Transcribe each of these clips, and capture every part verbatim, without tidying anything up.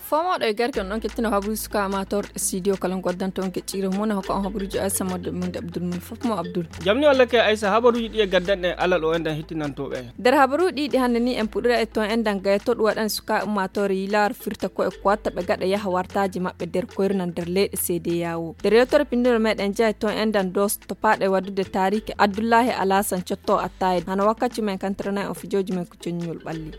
Fomoɗo e garke on ɗon kettino habruji suka amator studio kala goddanta on kecciro mona hokka on habruji o aysa modde mum de abdul mum fof mo abdul. Jamni walla ke aysa habaruji ɗi e gaddanɗe alal o enɗan hittinantoɓe en. Nder habaruji ɗiɗi hannde ni en puɗɗira e ton enɗan gayto ɗum waɗan suka ummatore yilar firta ko e kuwatta ɓe gaɗa yaha wartaji maɓɓe nder koyrna nder leyɗe seede yawo nder yewtere pindiro meɗen jeya ton enɗan dos to paɗe waddude tariki abdullahi alasan cotto attaye hano wakkati men kantirana en o fijoji men ko coññol ɓalli.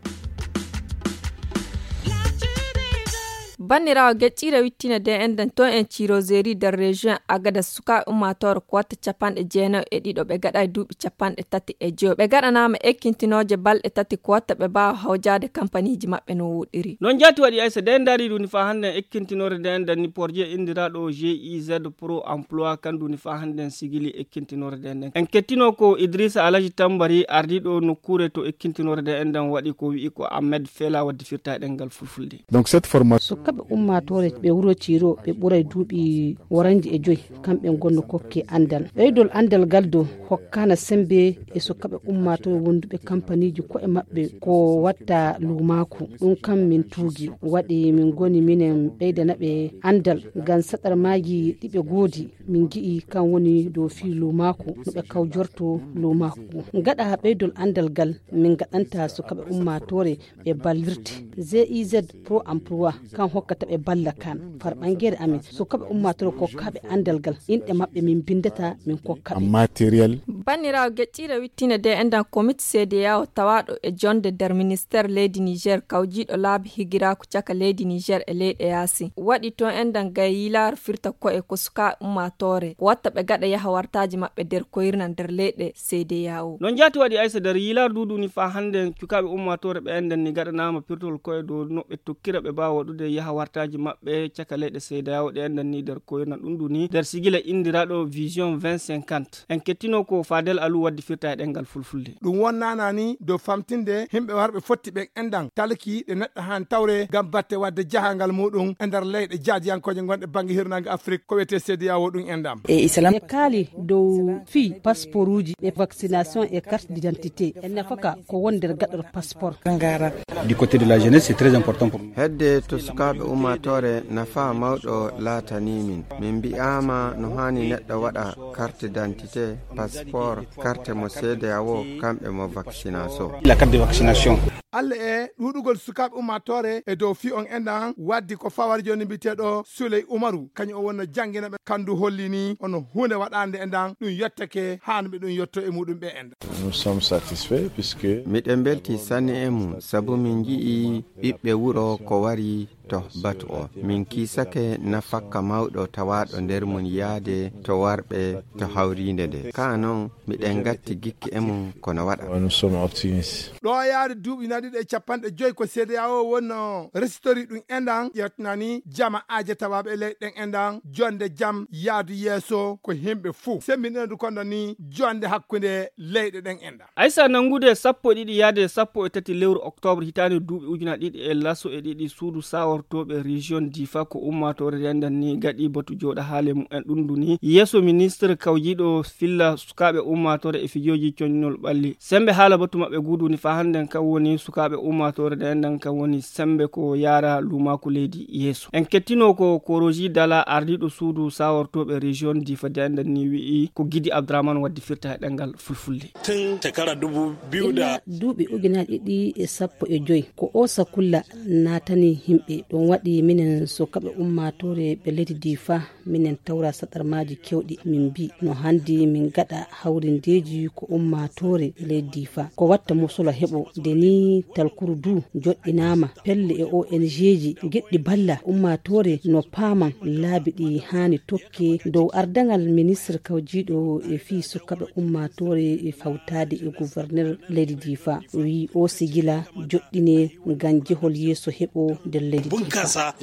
Banniraawo geccire wittine de enɗan to en ciroseri nder région agada suka ummatore kuwatta capanɗe jeenayo e ɗiɗo ɓe gaɗa e duuɓi capanɗe tati e joyo ɓe gaɗanama ekkintinooje balɗe tati kuwatta ɓe mbaawa hawjaade kampaniji maɓɓe no woɗɗiri. Non jaati waɗi aysa de ndaari ɗum ni faa hannde en ekkintinore de enɗan ni porje indiraɗo giz pro emploi kan ɗum ni faa hannde en sigili ekkintinore de enɗan en kettino ko idrissa alaji tambari ardiɗo nokkure to ekkintinore de enɗan waɗi ko wi'i ko ahmed fela wadde firta e ɗengal fulfulde. Donc cette formation sukaɓe ummatore ɓe wuro ciro ɓe ɓuray duuɓi waranji e joyi kamɓe gonno kokke andal ɓeydol andal gal dow hokkana sembe e sukaɓe ummatore wonduɓe kampaniji koye maɓɓe ko watta lumaku ɗum kam min tuugi waɗi min goni minen ɓeydanaɓe andal ngam saɗarmaji ɗiɓe goodi min gi'i kan woni dow fii lumaku no ɓe kawjorto lumaku gaɗa ɓeydol andal gal min gaɗanta sukaɓe ummatore ɓe ballirte giz pro emploi kan hokkata ɓe balla kan far ɓangere amin sukaɓe ummatore kokkaɓe andal gal inɗe maɓɓe min bindata min kokkaɓe matériel. Banniraawo geccire wittine de enɗan komite seede yawo tawaɗo e jonde nder ministère leydi niger kawjiɗo laabi higiraku caka leydi niger e leyɗe yaasi waɗi ton enɗan gay yilaar firta koye ko suka ummatore ko watta ɓe gaɗa yaha wartaji maɓɓe nder koyrna nder leyɗe seede yawo. Non jaati waɗi aysa nder yilaar duudu ni faa hannde cukaɓe ummatore ɓe enɗan ni gaɗanama pirtol koye dow no ɓe tokkira ɓe mbaawa waɗude yaha wartaji maɓɓe caka leyɗe seede yawo ɗe enɗan ni nder koyrna ɗum ɗum ni nder sigila indiraɗo vision vingt cinquante en kettino ko fadel alu wadde firta e ɗengal fulfulde. Ɗum wonnana ni dow famtinde himɓe warɓe fotti ɓen enɗan talki ɗe neɗɗo han tawre ngam batte wadde jahangal muɗum e nder leyɗe jaadiyankoje gonɗe bangge hirnange afrik ko wiyete seede yawo ɗum enɗam. E islam e kaali dow fii pasporuji e vaccination e carte d'identité e nafaka ko won nder gaɗor passeport. Ngara du côté de la jeunesse c'est très important pour nous. Hedde to sukaaɓe ummatore nafa mawɗo laatani min min mbi'ama no hani neɗɗo waɗa carte d'identité passeport carte mo seede awo kamɓe mo vaccination. La carte de vaccination. Alla e ɗuuɗugol sukaaɓe ummatore e dow fii on enɗan waddi ko fawari joni mbiteɗo suley umaru kañum o wonno janngina ɓe kandu hollini ono hunde waɗande enɗan ɗum yottake hanuɓe ɗum yotto e muɗum ɓe enɗan. Nous sommes satisfaits puisque miɗen mbelti sanne e mum sabu min nji'i ɓiɓɓe wuro ko wari to batu o min kiisake nafakka mawɗo tawaaɗo nder mum yaade to warɓe to hawriinde nde ka noon miɗen ngatti gikke e mum kono waɗa. Nous sommes optimistes. Ɗo yaade duuɓi na ɗiɗo e capanɗe joyi ko seede yawo wonno resitori ɗum enɗan ƴettinani jama aje tawaɓe e leyɗe ɗen enɗan jonde jam yaadu yeeso ko himɓe fuu semmbinɗinadu konɗo ni jonde hakkunde leyɗe ɗen enɗan. Aysa nanngude sappo e ɗiɗi yaade sappo e tati lewru octobre hitaande duuɓi ujuna ɗiɗi e laso e ɗiɗi suudu sawortooɓe région difa ko ummaatoore rendan ni gaɗi batu jooɗa haale mumen ɗum nduni yeeso ministre kawjiiɗo filla sukaaɓe ummaatoore e fijooji coñnol ɓalli semmbe haala batu maɓɓe guuduuni faa hannden kan woni sukaaɓe ummaatoore rendan kan woni semmbe ko yaara luumaaku leydi yeeso en kettino ko koroji dala ardiiɗo suudu sawortooɓe région difa dendan ni wi'i ko gidi abdourahmane waddi firta e ɗemngal fulfulde. Tun shekara dubu biyu da duuɓi ujunaaji ɗiɗi e sappo e joy ko o sakulla naatani yimɓe ɗum waɗi minen sukaaɓe ummaatoore ɓe leydi difa minen tawra saɗarmaaji kewɗi min mbi no hanndi min gaɗa hawrindeeji ko ummaatoore ɓe leydi difa ko watta musolo heɓo nde ni talkuru du joɗɗinaama pelle e ong ji geɗɗi balla ummaatoore no paaman laabi ɗi haani tokki dow ardaŋal ministre kawjiiɗo e fii sukaaɓe ummaatoore e hawtaade e gouverneur leydi difa wi'i o sigila joɗɗine ngam jehol yeeso heɓo nder leydi difa.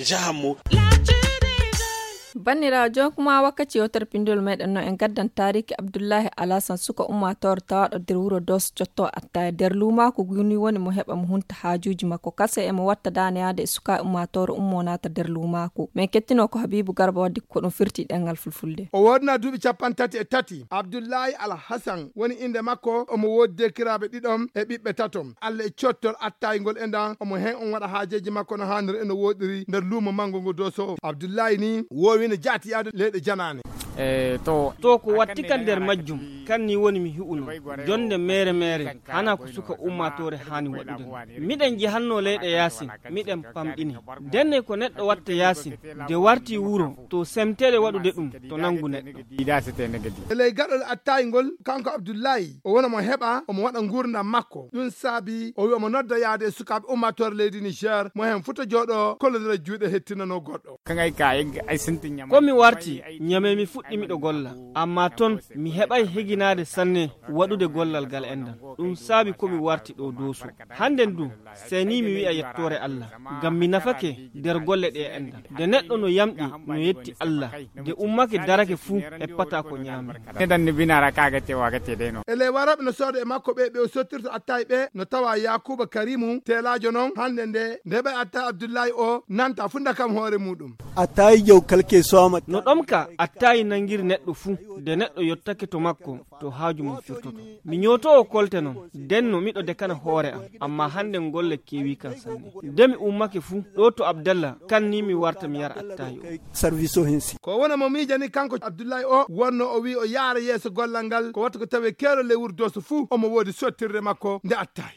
Banniraawo, jooni kuma wakkati yewtere pinndol meɗen no en gaddan taariki Abdullahi Alasan, suka ummaatoore tawaaɗo nder wuro Doso cotto attaaya nder luumaaku, guni woni mo heɓa mo hunta haajuuji makko kase, e mo watta daane yaade e suka ummaatoore ummo naata nder luumaaku. Men kettino ko Habibu Garba waddi ko ɗum firti ɗengal fulfulde. O woodna duuɓi capanɗe tati e tati. Abdullahi Alhasan woni innde makko, omo woodi deekiraaɓe ɗiɗon e ɓiɓɓe taton. Allah e cottol attaayngol e ndan, omo heen on waɗa haajeeji makko no haaniri e no wooɗiri nder luumo manngo ngo Doso. Abdullahi ni woowino jaati yaade leyɗe janaane. E, to. To ko watti kan nder majjum, kan ni woni mi hi'uno. Jonde mere mere, hana ko suka ummaatoore haani waɗude. Miɗen jehanno leyɗe yaasin, miɗen pamɗini. Denne ko neɗɗo watta yaasin, de warti wuro, to semtere waɗude ɗum, to nangu neɗɗo. E ley gaɗol attaayngol, kanko Abdullahi, o wona mo heɓa, omo waɗa nguurndam makko. Ɗum saabi, o wi'a mo nodda yaade e sukaaɓe ummaatoore leydi Niger, mo heen futa jooɗo, kollodira juuɗe hettinanoo goɗɗo. Kan ay ka, ay, ay sinti ñama. Ko mi warti, ñame mi fuɗɗi miɗo golla. Amma ton, mi heɓay higinaade sanne waɗude gollal ngal enɗan. Ɗum saabi ko mi warti ɗo Doso. Hannden du, seni mi wi'a yettoore Allah, ngam mi nafake nder golle ɗe enɗan. De neɗɗo no yamɗi, no yetti Allah, de ummake darake fuu, heppata ko ñaami. Neɗɗan ni binaara ka gate wa gate de no. E ley warooɓe no sooda e makko ɓe, ɓe o sottirta attaay ɓe, no tawa Yaakuuba Karimu, teelaajo non, hannde nde, nde ɓe attaay Abdullahi o, nanta fuu ndakam hoore muuɗum. Attaay jaw kalke so ama. No ɗomka, attaay nangiri neɗɗo fuu, de neɗɗo yottake to makko, to haaju mum firtoto. Mi ñootoowo kolte non, denno miɗo dekana hoore am, amma hannde golle keewi kan sanne. De mi ummake fuu, ɗo to Abdallah, kan ni mi warta mi yara attaay o. Service o hinsi. Ko wona mo miijani kanko Abdullahi o, wonno o wi'i o yaara yeeso gollal ngal, ko watta ko tawee keerol ley wuro Doso fuu, omo woodi sottirde makko nde attaay.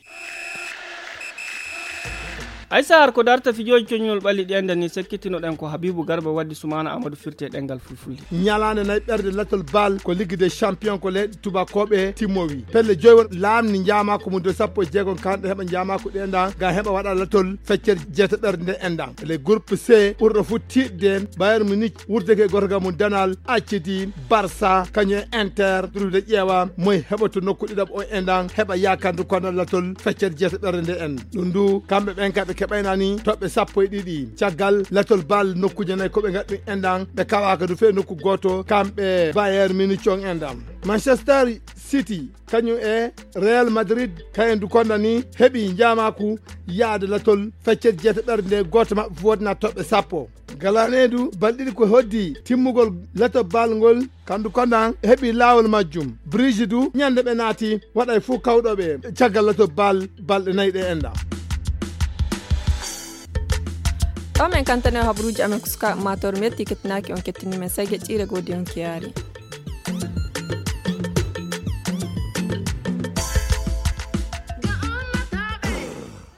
Ay sahar ko darta fijooji coñunol ɓalli ɗi enɗan ni, sekkitinoɗen ko Habibu Garba waddi Sumaana Amadu firti e ɗengal fulfulde. Ñalaande nayi ɓerde latol bal ko Ligue des Champions ko leyɗe tubakooɓe timmowi. Pelle joyi won laamni njaamaako mum de sappo e jeegom kanɗe heɓa njaamaako ɗe enɗan ngam heɓa waɗa latol feccere jeeta ɓerde nde enɗan. Le groupe C ɓurɗo fof tiiɗde Bayern Munich wurdeke e gorga mum danal accidi Barça kañum e Inter durwide ƴeewa moy heɓoto nokku ɗiɗaɓo o enɗan heɓa yaakande kono latol feccere jeeta ɓerde nde en. Ɗum ndu kamɓe ɓen ka ɓe keɓaynani toɓɓe sappo e ɗiɗi. Caggal latol bal nokkuuje nayi ko ɓe ngaɗi ɗum enɗan ɓe kawaaka du fee nokku gooto kamɓe Bayern Munich on enɗan. Manchester City kañum e Real Madrid kayen du konda ni heɓi njaamaaku yaade latol feccere jeeta ɓerde nde gooto maɓɓe fof wodna toɓɓe sappo. Galaneedu balɗiɗi ko hoddi timmugol lato bal ngol kandu konda heɓi laawol majjum. Brigidu ñande ɓe naati waɗay fof kawɗo ɓe caggal lato bal balɗe nayi ɗe enɗan. Ɗo men kantane habruuji amen ko suka mator metti kettinaaki on kettini men sege ƴiire godi on kiyaari.